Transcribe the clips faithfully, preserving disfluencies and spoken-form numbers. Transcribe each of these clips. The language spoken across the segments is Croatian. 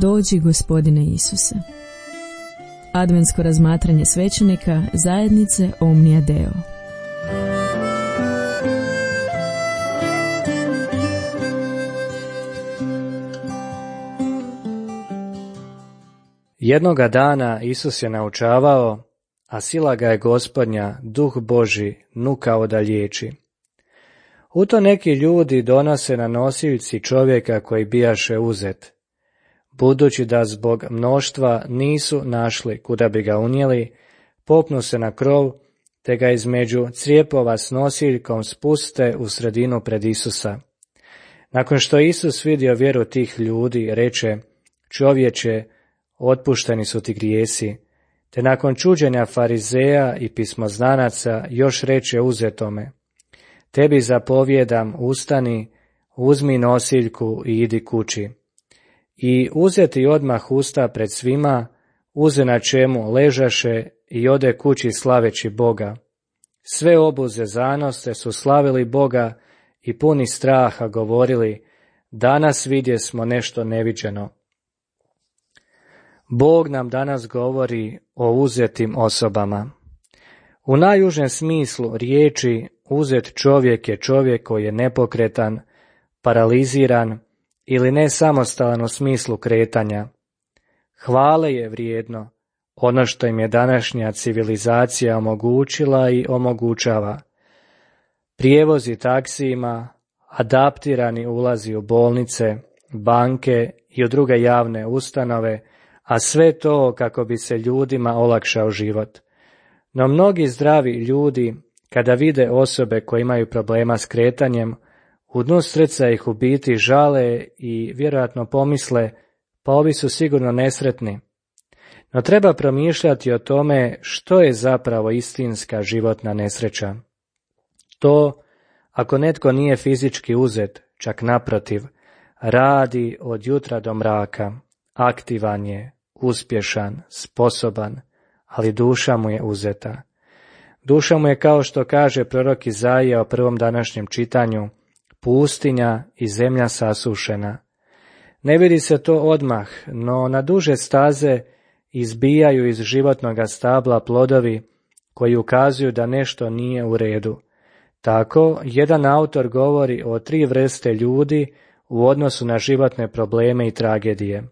Dođi, Gospodine Isuse. Adventsko razmatranje svećenika zajednice Omnia Deo. Jednoga dana Isus je naučavao, a sila ga je Gospodnja, Duh Božji, nukao da liječi. U to neki ljudi donose na nosiljci čovjeka koji bijaše uzet. Budući da zbog mnoštva nisu našli kuda bi ga unijeli, popnu se na krov, te ga između crijepova s nosiljkom spuste u sredinu pred Isusa. Nakon što Isus vidio vjeru tih ljudi, reče: čovječe, otpušteni su ti grijesi, te nakon čuđenja farizeja i pismoznanaca još reče uzetome: tebi zapovjedam, ustani, uzmi nosiljku i idi kući. I uzeti odmah usta pred svima, uze na čemu ležaše i ode kući slaveći Boga. Sve obuze zanoste su slavili Boga i puni straha govorili: danas vidjesmo nešto neviđeno. Bog nam danas govori o uzetim osobama. U najužem smislu riječi uzet čovjek je čovjek koji je nepokretan, paraliziran ili nesamostalan u smislu kretanja. Hvale je vrijedno ono što im je današnja civilizacija omogućila i omogućava. Prijevozi taksijima, adaptirani ulazi u bolnice, banke i u druge javne ustanove, a sve to kako bi se ljudima olakšao život. No mnogi zdravi ljudi, kada vide osobe koje imaju problema s kretanjem, u dnu srca ih u biti žale i vjerojatno pomisle: pa ovi su sigurno nesretni. No treba promišljati o tome što je zapravo istinska životna nesreća. To, ako netko nije fizički uzet, čak naprotiv, radi od jutra do mraka, aktivan je, uspješan, sposoban, ali duša mu je uzeta. Duša mu je, kao što kaže prorok Izaija o prvom današnjem čitanju, pustinja i zemlja sasušena. Ne vidi se to odmah, no na duže staze izbijaju iz životnoga stabla plodovi koji ukazuju da nešto nije u redu. Tako, jedan autor govori o tri vrste ljudi u odnosu na životne probleme i tragedije.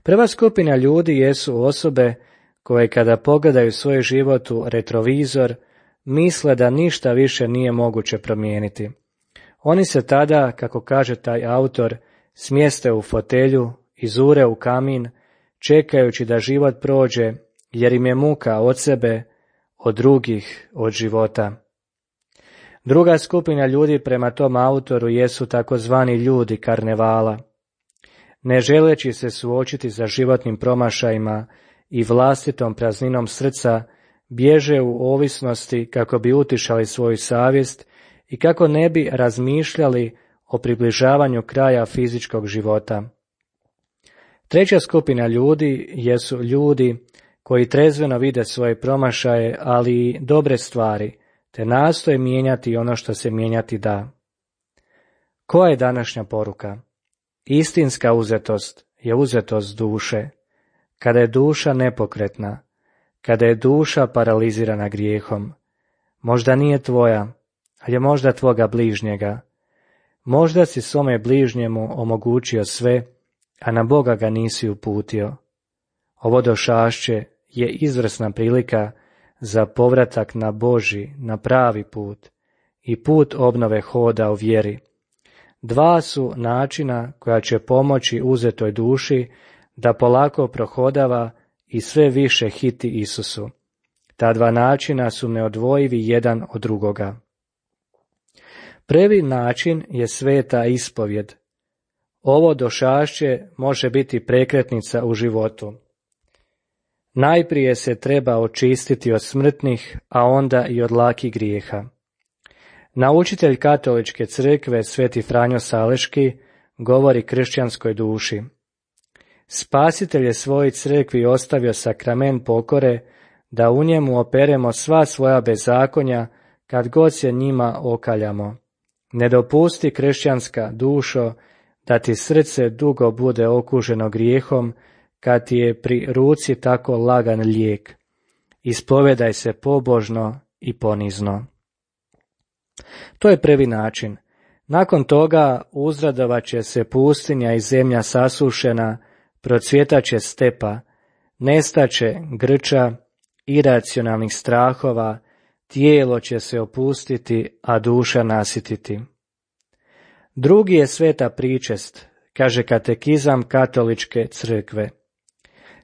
Prva skupina ljudi jesu osobe koje kada pogledaju svoj život u retrovizor, misle da ništa više nije moguće promijeniti. Oni se tada, kako kaže taj autor, smjeste u fotelju, izure u kamin, čekajući da život prođe, jer im je muka od sebe, od drugih, od života. Druga skupina ljudi prema tom autoru jesu takozvani ljudi karnevala. Ne želeći se suočiti sa životnim promašajima i vlastitom prazninom srca, bježe u ovisnosti kako bi utišali svoju savjest i kako ne bi razmišljali o približavanju kraja fizičkog života. Treća skupina ljudi jesu ljudi koji trezveno vide svoje promašaje, ali i dobre stvari, te nastoje mijenjati ono što se mijenjati da. Koja je današnja poruka? Istinska uzetost je uzetost duše. Kada je duša nepokretna, kada je duša paralizirana grijehom, možda nije tvoja, ali je možda tvoga bližnjega. Možda si svome bližnjemu omogućio sve, a na Boga ga nisi uputio. Ovo došašće je izvrsna prilika za povratak na Božji, na pravi put i put obnove hoda u vjeri. Dva su načina koja će pomoći uzetoj duši da polako prohodava i sve više hiti Isusu. Ta dva načina su neodvojivi jedan od drugoga. Prvi način je sveta ispovjed. Ovo došašće može biti prekretnica u životu. Najprije se treba očistiti od smrtnih, a onda i od lakih grijeha. Naučitelj katoličke crkve Sveti Franjo Saleški govori kršćanskoj duši: Spasitelj je svojoj crkvi ostavio sakrament pokore, da u njemu operemo sva svoja bezakonja kad god se njima okaljamo. Ne dopusti, kršćanska dušo, da ti srce dugo bude okuženo grijehom, kad ti je pri ruci tako lagan lijek. Ispovedaj se pobožno i ponizno. To je prvi način. Nakon toga uzradovat će se pustinja i zemlja sasušena, procvjetaće stepa, nestaće grča, iracionalnih strahova, tijelo će se opustiti, a duša nasititi. Drugi je sveta pričest, kaže katekizam katoličke crkve.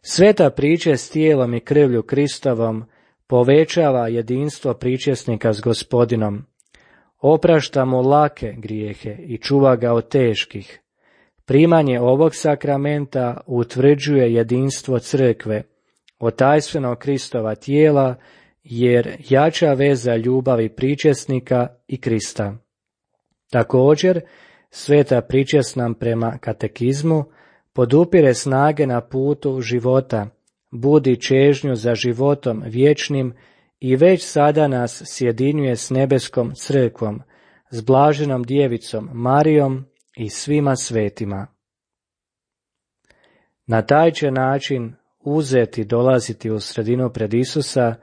Sveta pričest tijelom i krvlju Kristovom povećava jedinstvo pričesnika s Gospodinom, oprašta mu lake grijehe i čuva ga od teških. Primanje ovog sakramenta utvrđuje jedinstvo crkve, otajstvenog Kristova tijela, jer jača veza ljubavi pričesnika i Krista. Također, sveta pričest nam prema katekizmu podupire snage na putu života, budi čežnju za životom vječnim i već sada nas sjedinjuje s nebeskom crkvom, s blaženom djevicom Marijom i svima svetima. Na taj će način uzeti dolaziti u sredinu pred Isusa,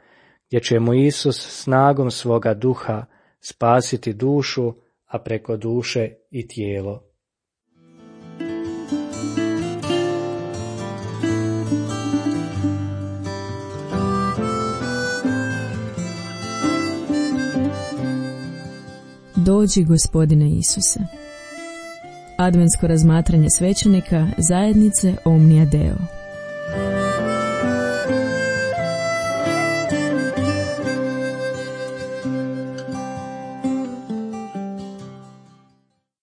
gdje će mu Isus snagom svoga duha spasiti dušu, a preko duše i tijelo. Dođi, Gospodine Isuse. Adventsko razmatranje svećenika zajednice Omnia Deo.